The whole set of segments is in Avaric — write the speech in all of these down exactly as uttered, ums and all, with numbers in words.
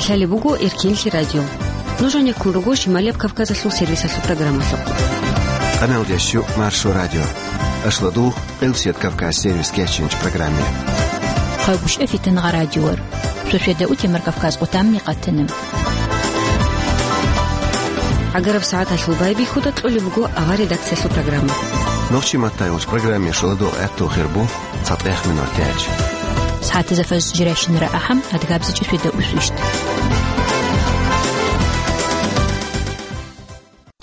Лъалеб буго Эркенлъи радио. Нуж гьанеккун руго Шималияб Кавказалъул сервисалъул программалъухъ. Къаналдеш щу Маршо радио. Ашлодух, Къилсият Кавказ сервис кечинч программе. Хъагушев Фитнагъа радиор. Сосиеда утемар Кавказ къутамни къатана. ГӀагараб сагӀаталъул байбихьуда кьолеб буго авар редакциялъул программа. Нохчи маттайулч программе шоладул гӀатту хирбу. ЦатӀех минутач. СагӀатазда фаз жирайщинара ахӀам, адгабзичӀи светда усвищ.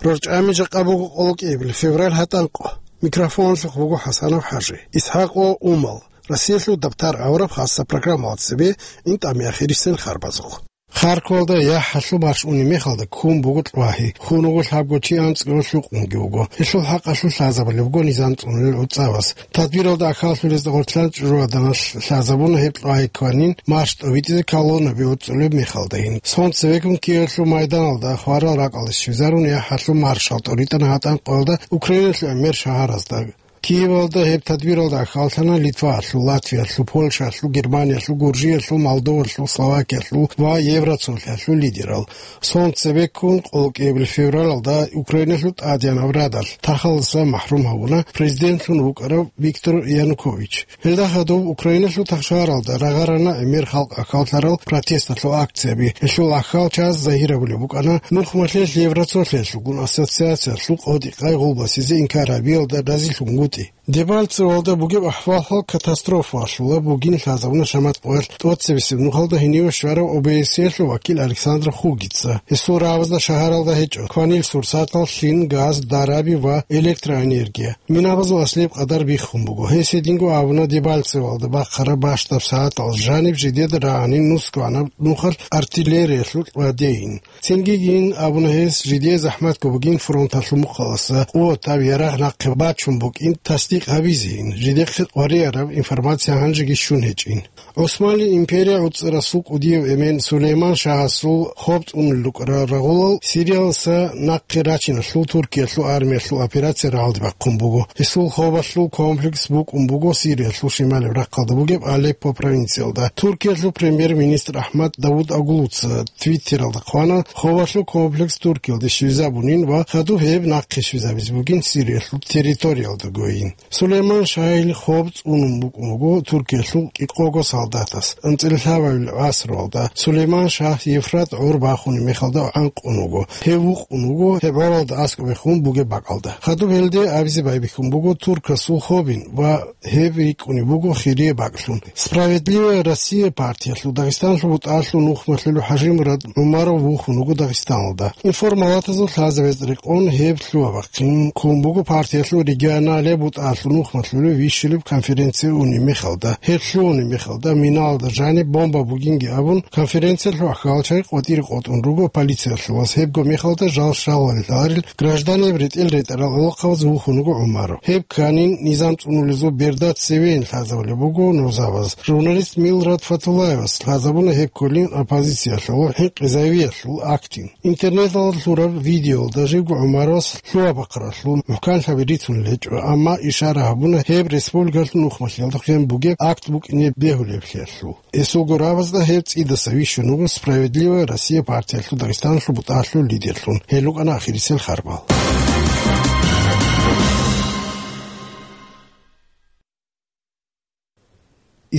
РорчӀами жакъа буго къолокӀиябил февраль гьатӀанкъо. Микрофонлъухъ буго ХӀасанов ХӀажи. ИсхӀакъ ва Умал. Россиялъул дабтар авараб хасса программалда цебе ин тӀами ахирисел харбазухъ. Харковалда яхӀ гьалъул марш унеб мехалда ккун буго кьвагьи, хун вуго лъабго чи анцӀго лъукъунги вуго. Гьелъул хӀакъалъулъ лъазабулеб буго низам цӀунулел гӀуцӀаваз. Тадбиралда ахӀаллъулезда гъорлъан чӀужугьаданалъ лъазабуна гьеб кьвагьи ккванин, марш тӀобитӀизе колоннаби гьоркьулеб мехалдайин. Сон цевеккун Киевалъул майданалда хварал ракӀалде щвезарун яхӀ гьалъул маршал тӀоритӀана гьатӀанкъоялда Украиналъул гӀемер шагьаразда. Киевалда гьеб тадбиралда ахӀаллъана Литваялъул, Латвиялъул, Польшаялъул, Германиялъул, Гуржиялъул, Молдоваялъул, Словакиялъул ва Евроцолъиялъул лидерал. Сон цебеккун къолокӀиябил февралалда Украиналъул тӀадеянаб радалъ тахаласа махӀрум гьавуна президентлъун вукӀарав Виктор Янукович. Гьелда хадуб Украиналъул тахшагьаралда рагъарана гӀемер халкъ ахӀаллъарал протесталъул акцияби. Гьелъул ахӀал чаз загьир гьабулеб букӀана нухмалъе Евроцолъиялъулгун ассоциациялъул къотӀи-къай гъулбасизе инкар гьабиялда разилъунгутӀи. Дебальцевоялда бугеб ахӀвал-хӀал катастрофаялъула бугин лъазабуна шамат къоялъ тӀоцебесеб нухалда гьениве щварав ОБСЕ-ялъул вакил Александр Хугица. Гьесул рагӀабазда шагьаралда гьечӀо кванил сурсатал, лъим, газ, дараби ва электроэнергия. Минабазул аслияб къадар биххун буго. Гьес гьединго абуна Дебальцевоялда бахъараб бащдаб сагӀатал жаниб жидеда рагӀанин нусгоанаб нухалъ артиллериялъул кьвадейин. Цинги гьин абуна гьес, жидее захӀматго бугин фронталъул мухъаласа къуватаб ярагъ нахъе бачун букӀин тасдикъ гьабизейин, жидехъе къварияраб информация гьанжеги щун гьечӀин. ГӀусманли империя гӀуцӀарасул кӀудияв эмен Сулейман шагьасул хоб цӀунулел рукӀарал рагъулал Сириялдаса нахъе рачиналъул Туркиялъул армиялъул операция рагӀалде бахъун буго. Гьесул хобалъул комплекс букӀун буго Сириялъул шималаб рахъалда бугеб Алеппо провинциялда. Туркиялъул премьер-министр АхӀмад Давутоглуца Твиттералда хъвана, хобалъул комплекс Туркиялде щвезабунин ва хадуб гьеб нахъе щвезабизе бугин Сириялъул территориялдагойин. Сулейман шагьил хоб цӀунун букӀун буго Туркиялъул кӀикъого солдатас. АнцӀила лъабабилеб гӀасруялда Сулейман шагь Евфрат гӀор бахунеб мехалда гӀанкъун вуго. Гьев вукъун вуго гьеб гӀоралда аскӀоб бехун бугеб бакӀалда. Хадуб гьелде абизе байбихьун буго туркасул хобин ва гьеб рикӀкӀунеб буго хирияб бакӀлъун. «Справедливая Россия» партиялъул Дагъистаналъул бутӀалъул нухмалъулев ХӀажимурад ГӀумаров вухун вуго Дагъистаналда. Информалатазул лъазабаз рекъон гьеб лъугьа-бахъин ккун буго партиялъул регионалияб бутӀалъул нухмалъулев вищулеб конференцияе унеб мехалда. Гьеб лъугьунеб мехалда, миналда жаниб бомба бугинги абун, конференциялъул ахӀалчагӀи къватӀире къотӀун руго полициялъулас, гьебго мехалда жал щаларилъарил гражданиял ретӀел-ретӀарал гӀолохъабаз вухун вуго ГӀумаров. Гьеб кканин, низам цӀунулезул берда цевейин лъазабулеб буго нузабаз. Журналист Милрат Фатуллаевас лъазабуна гьеб кколин оппозициялъул ХӀинкъи Завиялъул актин. Интернеталда лъураб видеоялда живго ГӀумаровас лъугьа-бахъаралъул мухӀканлъаби рицунел гьечӀо, амма ишара гьабуна гьеб республикалъул нухмалъиялда хъван бугеб акт букӀине бегьулеблъиялъул. Гьесул гурабазда гьев цӀидаса вищун вуго «Справедливая Россия» партиялъул Дагъистаналъул бутӀалъул лидерлъун. Гьел рукӀана ахирисел харбал.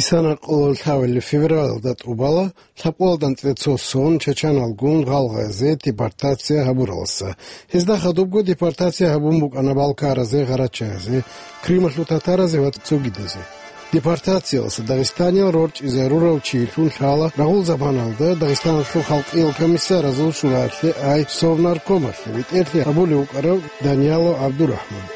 Исана къоло лъабабилеб февралалда тӀубала лъабкъоялда анцӀила цо сон чачаналгун гъалгъазе депортация гьабураласа. Гьезда хадубго депортация гьабун букӀана балкаразе, гъарачаязе, Крымалъул татаразе ва цогидазе. Депортацияласа дагъистаниял рорчӀизарурав чилъун лъала рагъул заманалда Дагъистаналъул халкъиял комиссаразул шураялъе, ай, Совнаркомалъе бетӀерлъи гьабулев вукӀарав Даниялов ГӀабдурахӀман.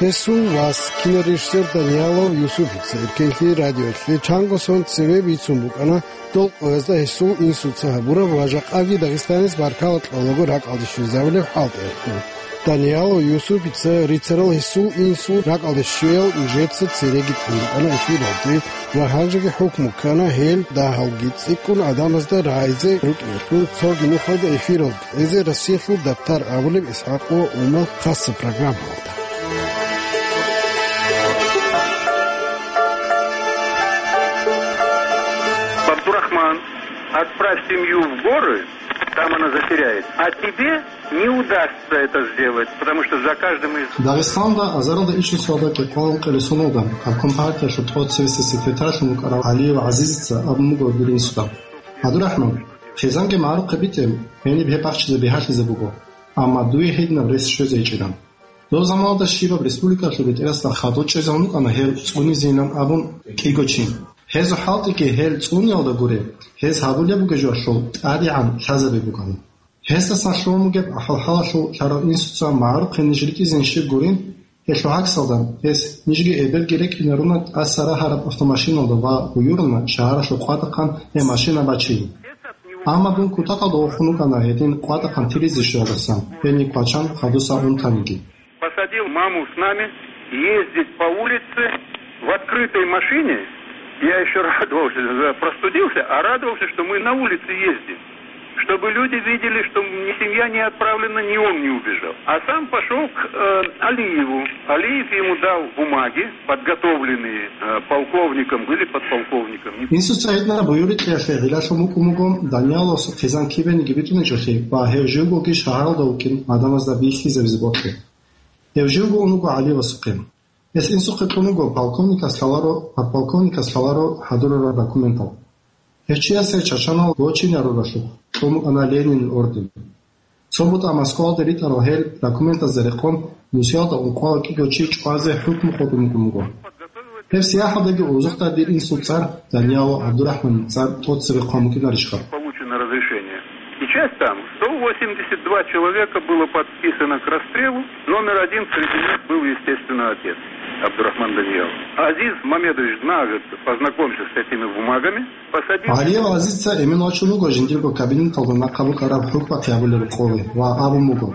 Гьесул вас, кинорежиссер Даниялов Юсупица, Эркенлъи радиоялъе чанго сон цеве бицун букӀана, дол къоязда гьесул инсуца гьабураб ва жакъаги Дагъистанис баркала кьолаго ракӀалде щвезабулеб хӀалтӀиялъул. Даниялов Юсупица рицарал гьесул инсул ракӀалде щвеял нижеца цереги тӀун букӀана эфиралде ва гьанжеги хӀукму ккана гьел дагьалги цӀикӀкӀун гӀадамазда рагӀизе рукӀиналъул. Цоги нухалда эфиралде кьезе Россиялъул дабтар абулеб ИсхӀакъ ва Умал хасса программалда. Абдурахман. Отправь семью в горы, там она затеряется. А тебе не удастся это сделать, потому что за каждым из Дагъистанда азаралда ишусалда кӀикъвалан къилисуналда, обком партиялъул тӀоцевесев секретарьлъун вукӀарав ГӀалиев ГӀазизица абун буго дир инсуда: «ГӀабдурахӀман, хъизанги магӀарухъе битӀе, гьениб гьеб бахчизе бигьалъизе буго. Амма дуе гьединаб рес щвезе гьечӀила». Доб заманалда щибаб республикалъул бетӀерасда хадур чӀезавун вукӀана гьел цӀунизейилан абун кӀиго чи. Гьезул хӀалтӀиги гьел цӀуниялда гуре, гьез гьабулеб бугеб жоялъул тӀадегӀан лъазабе букӀана. Гьесдасан лъугьун бугеб ахӀвал-хӀалалъул лъарав инсуца магӀарухъе ниж ритӀизейин щиб гурин, гьелъул гӀаксалда, гьес нижги эбелги рекӀинаруна тӀаса рагьараб автомашиналда ва гьуюруна шагьаралъул къватӀахъан гьеб машина бачейин. Амма дун кутакалда вохун вукӀана гьедин къватӀахъан тиризе щвеялдасан, гьениб квачан хадуса унтаниги. Посадил маму с нами ездить по улице в открытой машине. Я еще радовался, за-, простудился, а радовался, что мы на улице ездим. Чтобы люди видели, что ни семья не отправлена, ни он не убежал. А сам пошел к, э, Алиеву. Алиев ему дал бумаги, подготовленные, э, полковником или подполковником. Не Инсуца гьединаб буюрикьиялъе гӀиллалъун букӀун буго Данияловасул хъизан кибениги битӀунечӀолъи ва гьев живгоги шагьаралда вукӀин гӀадамазда бихьизабизе бокьи. Гьев живго ун вуго ГӀалиевасухъе. Гьес инсухъе кьун вуго полковникас лъаларо, подполковникас лъаларо хӀадурарал документал. Гьев чиясе чачанал гочинаруралъухъ кьун букӀана Ленинил орден. Цо бутӀа Москвалде ритӀарал гьел документазда рекъон, Мусиялда ункъоялда кӀиго чи чӀвазе хӀукму къотӀун букӀун буго. Гьеб сияхӀалдаги узухъа дир инсул цӀар, Даниялов ГӀабдурахӀманил цӀар тӀоцебе хъван букӀинарищха? Получено разрешение. И часть там, сто восемьдесят два человека было подписано к расстрелу. Номер один среди них был, естественно, отец Абдурахман Даниялов. Азиз Мамедович, на год познакомься с этими бумагами. Посадил ГӀалиев ГӀазизица эмен вачун вуго жиндирго кабинеталда нахъа букӀараб хӀукму гьабулеб къоле ва абун буго: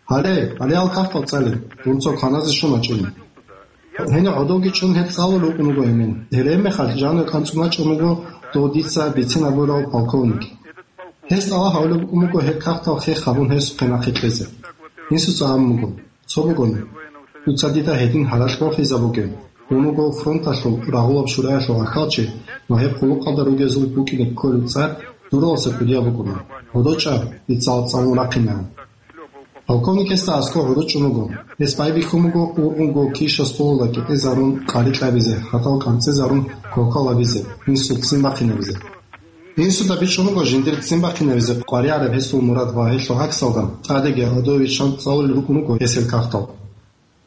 «Гьале, гьале гьал кагътал цӀале, дун цо кваназе щун вачӀине». Гьенив гӀодовги чӀун гьеб цӀалулев вукӀун вуго эмен. Гьеле гьебмехалъ жанив анцӀго чӀун вуго дов дица бицин абурав полковник. Гьес тӀалаб гьабулеб букӀун буго гьеб кагътал хех гьабун гьесухъе нахъе кьезе. Инсуца абун буго: «Цо бугони, дуца дида гьедин гьаракь бохизабуге. Дун вуго фронталъул рагъулаб шураялъул ахьалчи ва гьеб хъулухъалда ругезул букӀине кколеб цӀар дураласа кӀудияб букӀуна. ГӀодов чӀа, дица гьал цӀалун рахъинегӀан». Полковник гьесда аскӀов гӀодов чӀун вуго. Гьес байбихьун буго ургъунго киша столалда кӀикъизарун къари кьабизе, гьатӀал кӀанцӀизарун кокал гьабизе, инсул ццин бахъинабизе. Инсуда бичӀчӀун буго жиндир ццин бахъинабизе къваригӀараб гьесул мурад ва гьелъул гӀаксалда, тӀадеги гӀодов виччан цӀалулел рукӀун руго гьес гьел кагътал.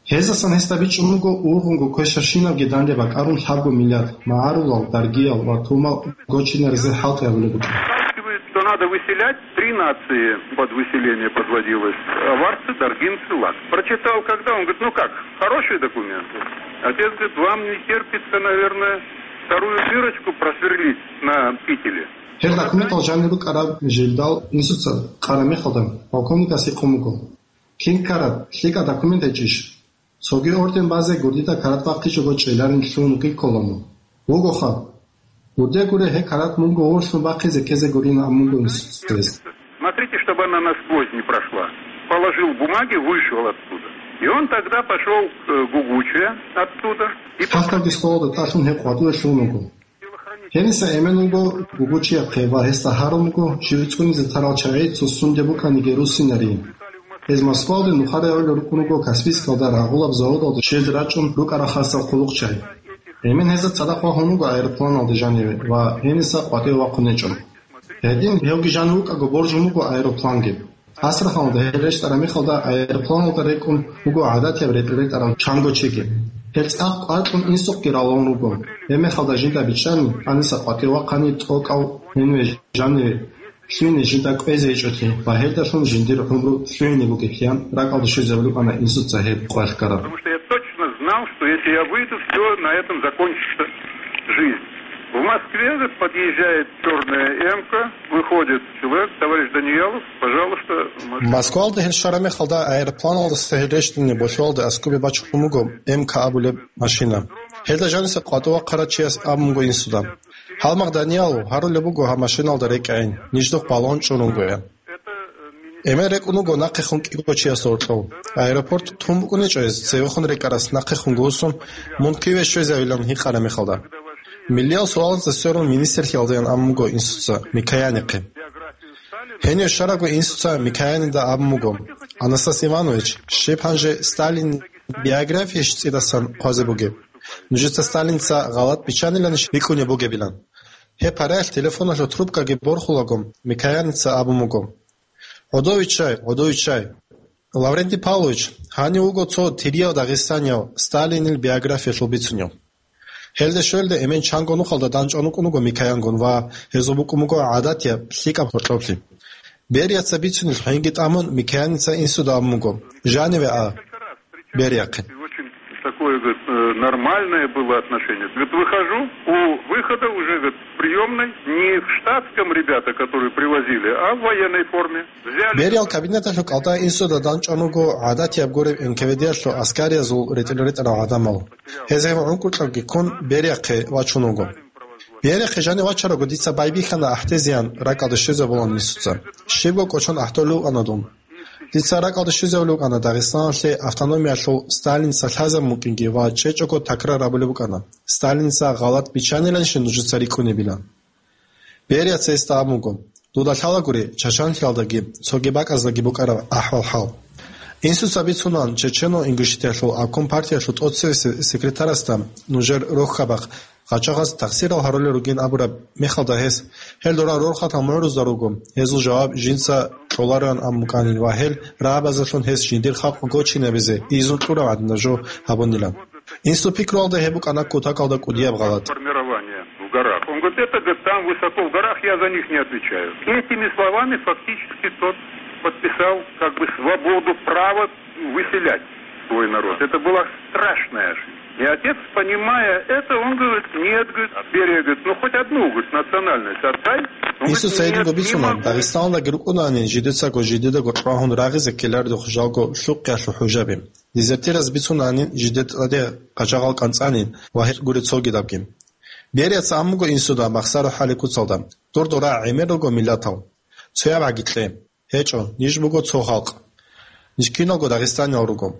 Гьезасан гьесда бичӀчӀун буго ургъунго квешабщинабги данде бакӀарун лъабго миллиард магӀарулал, даргиял ва тумал гочинаризе хӀалтӀи гьабулеб букӀин. Что надо выселять, три нации под выселение подводилось. Аварцы, даргинцы, лак. Прочитал когда, он говорит: «Ну как, хорошие документы?» Отец говорит: «Вам не терпится, наверное, вторую дырочку просверлить на кителе». Гьел документал жанир рукӀараб жилдал инсуца къараб мехалда, полковникас гьикъун буго: «Кин ккараб, лъикӀаб документ гьечӀищ? Цоги орден базе гурдида карат бахъичӀого чӀеларин лъугьун вугин ккола мун. Вугоха. Гурде гуре гьеб карат мунго вугьулъун бахъизе ккезе гурин», — абун буго инсуца гьес. Смотрите, чтобы она насквозь не прошла. Положил бумаги, вышел оттуда. И он тогда пошел к, э, Гугуче оттуда. И Хахталги столалда тӀалъун гьеб къватӀиве лъугьун вуго. Гьениса эмен вуго Гугучияхъе ва гьесда гьарун буго жив цӀунизе тарал чагӀи цо сунде букӀаниги руссинарин. Гьез Москвалде нухареяв рукӀун вуго Каспийскалда рагъулаб заводалда щвезе рачӀун рукӀарал хасал хъулухъчагӀи. Эмен гьезда цадахъ вагьун вуго аэропланалде жаниве ва гьениса къватӀиве вахъун гьечӀо. Гьедин гьевги жанив вукӀаго боржун буго аэропланги. Астраханалда гьел рещтӀараб мехалда аэропланалда рекӀун вуго гӀадатияб ретӀел ретӀарав чанго чиги. Гьел цӀакъ кӀвар кьун инсухъги ралун руго. Гьебмехалда жинда бичӀчӀани, гьаниса къватӀиве вахъани тӀокӀав гьениве жаниве лъугьине жинда кӀвезе гьечӀолъи ва гьелдалъун жиндир гӀумру лъугьине бугеблъиян ракӀалде щвезабулеб букӀана инсуца гьеб къвалъ ккараб. Потому что я точно знал, что если я выйду, всё, на этом закончится жизнь. В Москве же подъезжает чёрная эмка, выходит человек: «Товарищ Даниялов, пожалуйста, машина». Москвалда гьел щвараб мехалда аэропланалдаса гьел рещтӀине болъолда аскӀобе бачун буго М К абулеб машина. Гьелда жаниса къватӀиве вахъарав чияс абун буго инсуда: «Гьалмагъ, Даниял, гьарулеб буго гьаб машиналда рекӀайин, ниждухъ балагьун чӀун ругоян». Эмен рекӀун вуго нахъехун кӀиго чиясда гьоркьов. Аэропорт тун букӀунечӀо гьез, цевехун рекӀарас нахъехун гьусун, мун киве щвезавилан гьикъараб мехалда. Миллиял суалазда сверун министрлъиялдаян абун буго инсуца Микоянихъе. Гьенив щварабго инсуца Микоянида абун буго: «Анастас Иванович, щиб гьанже Сталин биографиящ цӀидасан хъвазе бугеб? Нужеца Сталинца гъалатӀ биччаниланищ рикӀкӀунеб бугебилан?» Гьеб параялъ телефоналъул трубкаги борхулаго, Микояница абун буго: «ГӀодовиччай, гӀодовиччай! Лаврентий Павлович, гьанив вуго цо тирияв дагъистанияв, Сталинил биографиялъул бицунев». Гьелде щвелда эмен чанго нухалда данчӀван вукӀун вуго Микоянгун ва гьезул букӀун буго гӀадатияб лъикӀаб гьоркьоблъи. Берияца бицунелъ гьенги тӀамун, Микояница инсуда абун буго: «Жаниве а, Берияхъе». Очень такое, говорит, э, нормальное было отношение. Говорит, выхожу, у выхода уже, говорит, в приёмной не в штатском ребята, которые привозили, а в военной форме. Взяли. Бериял кабинеталъул кӀалда инсуда данчӀван вуго гӀадатияб гуреб НКВД-ялъул аскариязул ретӀел-ретӀарал гӀадамал. Гьез гьев гӀункӀукьабги ккун, Берияхъе вачун вуго. Берияхъе жанив вачарого дица байбихьана ахӀдезеян ракӀалде щвезабулан инсуца. Щибго кӀочон ахӀдолев вукӀана дун. Дица ракӀалде щвезавулев вукӀана Дагъистаналъе автономиялъул Сталинца лъазабун букӀинги ва чӀечӀого такрар гьабулеб букӀана: «Сталинца гъалатӀ биччаниланищ нужеца рикӀкӀунебилан?» Берияца гьесда абун буго: «Дуда лъалагури Чачанлъиялдаги цоги бакӀаздаги букӀараб ахӀвал-хӀал». Инсуца бицунаан Чечено-Ингушетиялъул обком партиялъул тӀоцеве се-, секретарасда нужер рохьабахъ гъачагъаз тахсирал гьарулел ругин абураб мехалда гьес: «Гьел дора рорхатал мугӀрузда руго, гьезул жаваб жинца кьолароян», – абун букӀанин ва гьел рагӀабазелъун гьес жиндир халкъ гочинабизе изну кьураб гӀадинаб жо гьабунилан. Инсул пикруялда гьеб букӀана кутакалда кӀудияб гъалатӀ. Формирование в горах. Он говорит, это, говорит, там высоко в горах, я за них не отвечаю. Этими словами фактически тот подписал как бы свободу, право выселять свой народ. Это была страшная ошибка. И отец, понимая это, он говорит: «Нет, говорит, Берия, говорит, ну хоть одну, говорит, национальность отдай». Он говорит: Инсуца гьединго «Нет, не бицуна, могу». Дагъистаналдаги рукӀунаанин жидецаго жидедаго чӀвагьун рагъизе ккеларедухъ жалго лъухъялъул хӀужаби. Дезертираз бицунаанин жидер тӀаде гъачагъал кӀанцӀанин ва гьел гури цогидабги. Берияца абун буго инсуда махсаро хӀали куцалда: «Дур дора гӀемер руго миллатал. Цояб гӀаги кье». ГьечӀо, ниж буго цо халкъ. Ниж киналго дагъистаниял руго.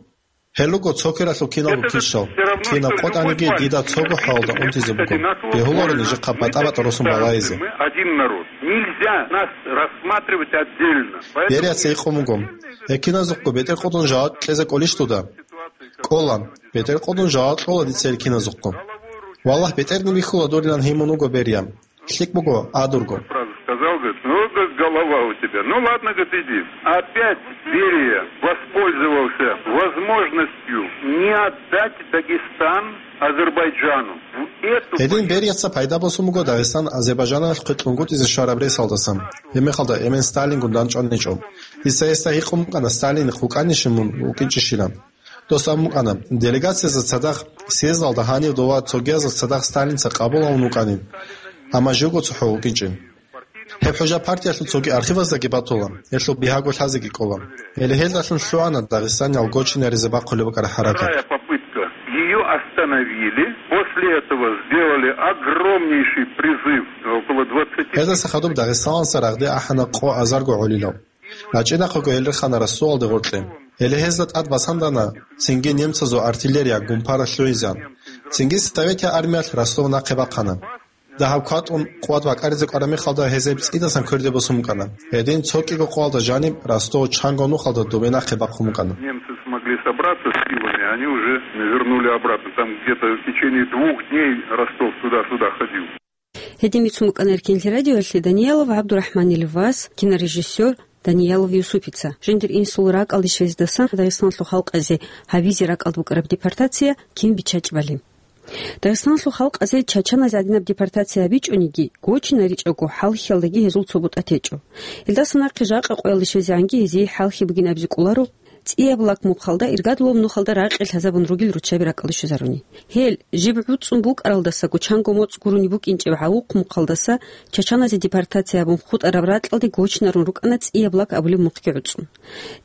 Гьел руго цо квералъул киналго кишал. Кинаб къотӀаниги дида цого хӀалалда унтизе буго. Бегьуларо нижехъа батӀа-батӀа росун балагьизе. Мы один народ. Нельзя нас рассматривать отдельно. Берияца гьикъун буго: «Гьекиназухъго бетӀер къотӀун жаваб кьезе кӀолищ дуда?» КӀола. БетӀер къотӀун жаваб кьола дица гьекиназухъго. Валлагь, бетӀерни бихьула дурилан гьимун вуго Берия. ЛъикӀ буго, а дурго. Сразу сказал, говорит: «Ну, говорит, голова у тебя. Ну, ладно, говорит, иди». Опять Берия воспользовался возможностью не отдать Дагестан Азербайджану. В эту Гьедин Берияца пайда босун буго Дагъистан Азербайджаналъухъе кьунгутӀизе щвараб ресалдасан. Гьебмехалда эмен Сталингун данчӀваничӀо. Дица гьесда гьикъун букӀана, Сталин хукӀанищин мун вукӀинчӀищилан. Дос абун букӀана, делегациязда цадахъ съездалда гьанив дова цогиязда цадахъ Сталинца къабул гьавун вукӀанин, амма живго цохӀо вукӀинчӀин. Гьеб хӀужа партиялъул цоги архиваздаги батула, гьелъул бигьаго лъазеги кӀола. Гьеле гьелдалъун лъугӀана Дагъистаниял гочинаризе бахъулеб букӀараб хӀаракат. Вторая попытка. Её остановили. После этого сделали огромнейший призыв. Около двадцати. Гьездаса хадуб Дагъистаналдаса рагъде ахӀана къо азарго гӀолилал. РачӀинахъего гьел рехана Ростовалде гъоркье. Гьеле гьезда тӀад басандана, цинги немцазул артиллерия гумпара лъугӀизан. Цинги советиял армиялъ Ростов нахъе бахъана. Дагьаб кватӀун къуват бакӀаризе кӀвараб мехалда гьез гьеб цӀидасан кверде босун букӀана. Гьедин цо кӀиго къоялда жаниб Ростов чанго нухалда добе нахъе бахъун букӀана. Немцы смогли собраться с силами, они уже вернули обратно. Там где-то в течение двух дней Ростов туда-сюда ходил. Гьедин бицун букӀана Эркенлъи радиоялъе Даниялов ГӀабдурахӀманил вас, кинорежиссер Даниялов Юсупица. Жиндир инсул ракӀалде щвездасан Дагъистаналъул халкъазе гьабизе ракӀалде букӀараб депортация кин биччачӀебали. Дагъистаналъул халкъазе чачаназе гӀадинаб депортация гьабичӀониги, гочинаричӀого хӀалхьиялдаги гьезул цо бутӀа течӀо. Илдаса нахъе жакъа къоялде щвезегӀанги гьезие хӀалхьи бугин абизе кӀоларо, цӀияб лак мухъалда иргадулаб нухалда ракъи лъазабун ругел руччаби ракӀалде щвезаруни. Гьел, жиб гӀуцӀцӀун букӀаралдасаго чанго моцӀ гурони букӀинчӀеб гӀавухъ мухъалдаса чачаназе депортация гьабун хутӀараб ракьалде гочинарун рукӀана цӀияб лак абулеб мухъги гӀуцӀцӀун.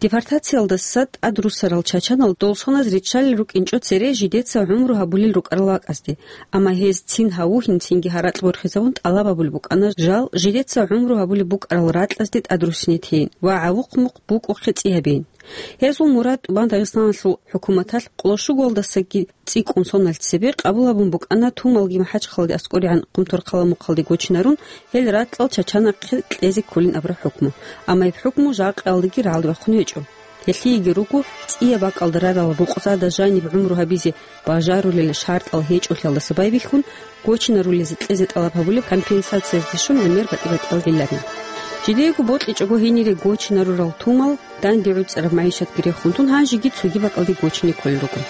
Депортациялдаса тӀадруссарал чачанал долсоназ риччалел рукӀинчӀо цере жидеца гӀумру гьабулел рукӀарал вакӀазде, амма гьез цин гьавугьин цинги гьаракь борхизабун тӀалаб гьабулеб букӀана жал жидеца гӀумру гьабулеб букӀарал ракьазде тӀадруссине тейин ва гӀавухъ мухъ букӀухъе цӀи гьабейин. Гьезул мурад тӀубан Дагъистаналъул хӀукуматалъ къоло щугоялдасаги цӀикӀкӀун соналъ цебе къабул гьабун букӀана тумалги МахӀачхъаладе аскӀоригӀан Къумторхъала мухъалде гочинарун, гьел ракьал чачанахъе кьезе кколин абураб хӀукму. Амма гьеб хӀукму жакъаялдаги рагӀалде вахъун гьечӀо. Гьелъиеги руго, цӀияб бакӀалда рарал рукъзада жаниб гӀумру гьабизе бажарулел шартӀал гьечӀолъиялдаса байбихьун, гочинарулезе кьезе тӀалаб гьабулеб компенсациязде щун гӀемер батӀи-батӀиял гӀиллаби. Жидеего бокьичӀого гьенире гочинарурал тумал, данде гӀуцӀараб магӀишатги рехун тун, гьанжеги цоги бакӀалде гочине кколел руго.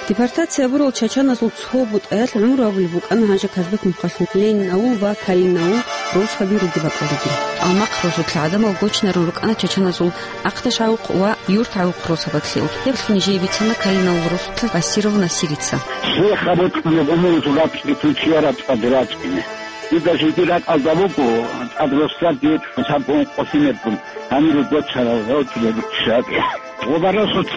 Депортация гьабурал чачаназул цо бутӀаялъ гӀумру гьабулеб букӀана гьанже Казбек мухъалъул Ленин-авул ва Калинин-авул росаби ругеб бакӀалдеги. Алмакъ росулъ гӀадамал гочинарун рукӀана чачаназул Ахъдаш гӀавухъ ва Юрт гӀавухъ росабатлъи. Гьеб нижее бицана Калинин-авул росулъа Басиров Насирица. Лъихъа бокьулеб умумузул ракьги тун чияр рацӀцӀад рачӀине. Дида жеги ракӀалда буго, тӀад росдал дие цӀунсаб ункъо лъимергун гьанире гочарал гьоркьулеб руччаби. Гъоба росулъ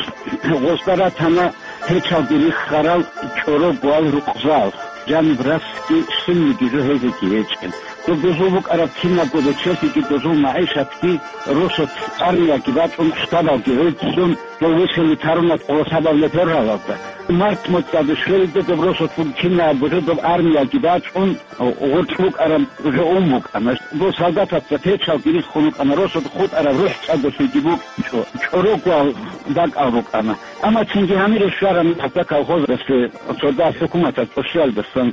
гъозда ратана гьечалги риххарал чӀорогоял рукъзал, жаниб расги щибниги жо гьезеги гьечӀел. Доб дозул букӀараб кинабго речелъиги дозул магӀишатги росулъ армияги бачӀун, штабалги гӀуцӀцӀун, дов вихьине тарунат къолосабаб лефералалда. Март моцӀалда щвелида доб росулъ буго кинабго жо, доб армияги бачӀун, гъоркь букӀараб жо ун букӀана. Дов солдатаца печалги риххун рукӀана, росулъ хутӀараб рухӀ цӀадолъиги букӀинчӀо, чӀорогоял бакӀал букӀана. Амма цинги гьанире щвараб мехалда колхозалъе цо дагь хӀукуматалъ тӀощиялдасан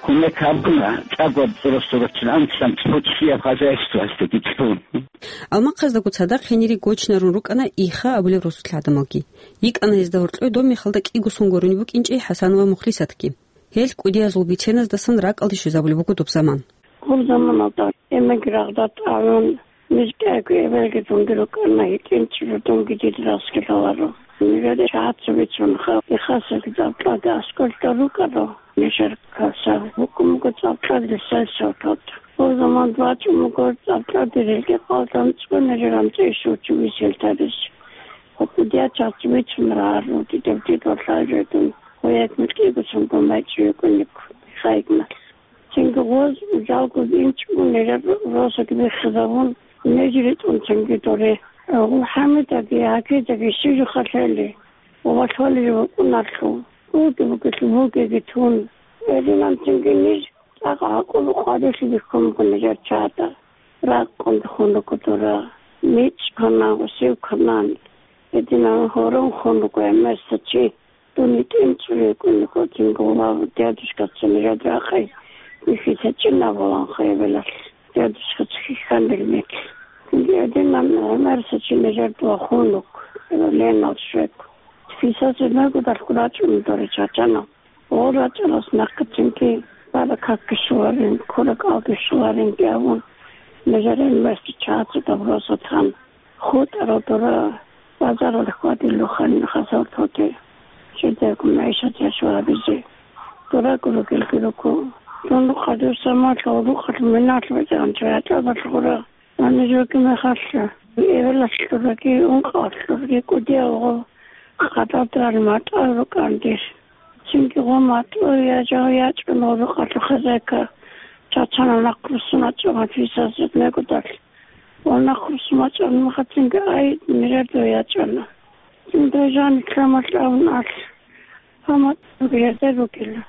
кумек гьабуна, чӀаго росулъ раччун анцӀила цо чиял хозяйствоялъеги чӀун. Алмахъаздаго цадахъ гьенире гочинарун рукӀана Иха абулеб росулъ гӀадамалги. ЙикӀана гьезда гьоркьой доб мехалда кӀиго сон гурони букӀинчӀей ХӀасанова Мухлисатги. Гьел кӀудиязул биценаздасан ракӀалде щвезабулеб буго доб заман. Гьеб заманалда эмеги рагъда тӀагӀун, ниж кӀиго эбелги дунги рукӀана, гьитӀинчӀеб дунги дида расги лъаларо. Нижеда чагӀаца бицунха, Ихасаги цӀакъ тӀаде аскӀорда рукӀаро, нижер каса букӀун буго цӀакъ тӀаде сельсоветалда. Гьеб заман бачӀун буго цӀакъ тӀаде релги къалдан цӀун нижер амцӀи ишучи висел тарис. Гьеб кӀудияз чагӀаца бицунра гьарун, дидаб дидвалъа жедун, гьояк микьигусун гумбайчӀи йикӀун йикӀун, Ихаигналъ. Цинги гъоз жалго инчӀого нижер росаги биххизабун, ниж ритӀун цинги доре. ГъулхӀамидаги гьакидаги щижухъалъели ва валъвали букӀунарлъул, буги бугелъул бугеги тун. Гьединан цинги ниж цӀакъ гӀакъуба къварилъи бихьун буго нижер чагӀазда. Ракъун бихьун руго дора, микьчӀ кванан, гъосив кванан. Гьединан гьорон хун руго гӀемерисев чи. Дун гьитӀинчӀев йикӀун йикӀо, цинги гъов дядушкаца нижер рахъе бихьизечӀин абуланха эбелалъ. Дядушкаца хьихьанила микь. Цинги гьединан гӀемерисев чи нижер вахун вуго, Ленал щвего. Фисазе мегодалъго рачӀун дора чачанал. Гъол рачӀарас нахъе цинги бара какги щоларин, кура кӀалги щоларинги абун, нижер гӀемерисев чагӀаца доб росулъ тан. ХутӀарал дора базаралде хьвадилухъанин хасал тоте, жидерго мегӀишат яшав гьабизе. Дораго ругелги руго. Дун рукъалъ, дур самалъа, рукъалъ миналъ бачӀаран чагӀи гьачӀал балъгъура. Гьанир ругеб мехалъ, эбелалъ ругеги, ункъавалъ ругеги кӀудияв гъо, къадалда рал матӀал рукӀан дир. Цинги гъо матӀу я жав ячӀун гъо рукъалъул хозяйка чачанал нахъруссун вачӀун фисазе мегодалъ. Ва нахъруссун вачӀараб мехалъ цинги ай нижер дой ячӀана. Цинги дой жаниб лъамалъ абун алъ. Гьаб матӀу гьезда ругела.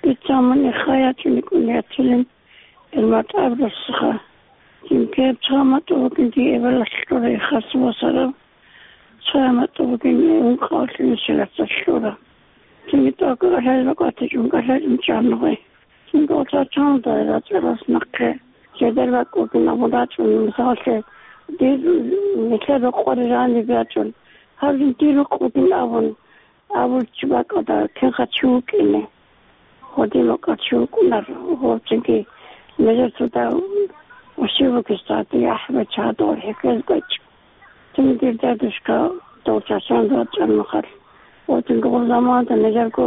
Дица мун Иха ячӀун йикӀун яцилин, гьел матӀаб росиха. Цинги гьеб цо матӀу бугин дие эбелалъ кьурай хас босараб, цо матӀу бугин ункъавалъ нусилаца кьура. Цинги тӀокӀаб гьел бакӀватичӀун кӀалъачӀун чӀана гъой. Цинги гъо чачанал дой рачӀарас нахъе жидер бакӀ бугин абун рачӀун, мисаллъи, дир нилъер рокъоре жаниб ячӀун, гьаб жо дир рукъ бугин абун, абулев чи бакӀалда кинха чи вукӀине. Гьодин вакӀа чи вукӀунар, гьорцинги нижер цо дагь вуссив вугес тӀаде яхӀ бачагьадал хӀехьезе гьечӀо. Цинги дир дядушка дов чачан рачӀараб мехалъ, гьодинги гъоб заманда нижерго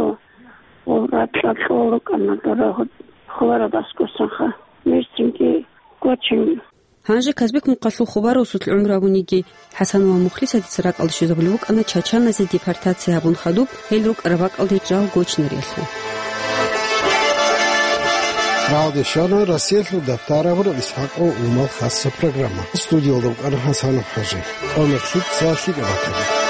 гъоб ракьа кьол рукӀана дора ху-, хулараб аскӀосанха. Ниж цинги гочин. Гьанже Казбек мухъалъул Хубарусулъ гӀумру гьабун йиги, ХӀасанова Мухлисатица ракӀалде щвезабулеб букӀана чачаназе депортация гьабун хадуб, гьел рукӀараб бакӀалде жал гочинариялъул. Рагьалде щвана Россиялъул дапӀтараб гӀураб ИсхӀакъ ва Умал хасса программа. Студиялда вукӀана ХӀасанов ХӀажи. Къо-мех лъица лъикӀаб батани.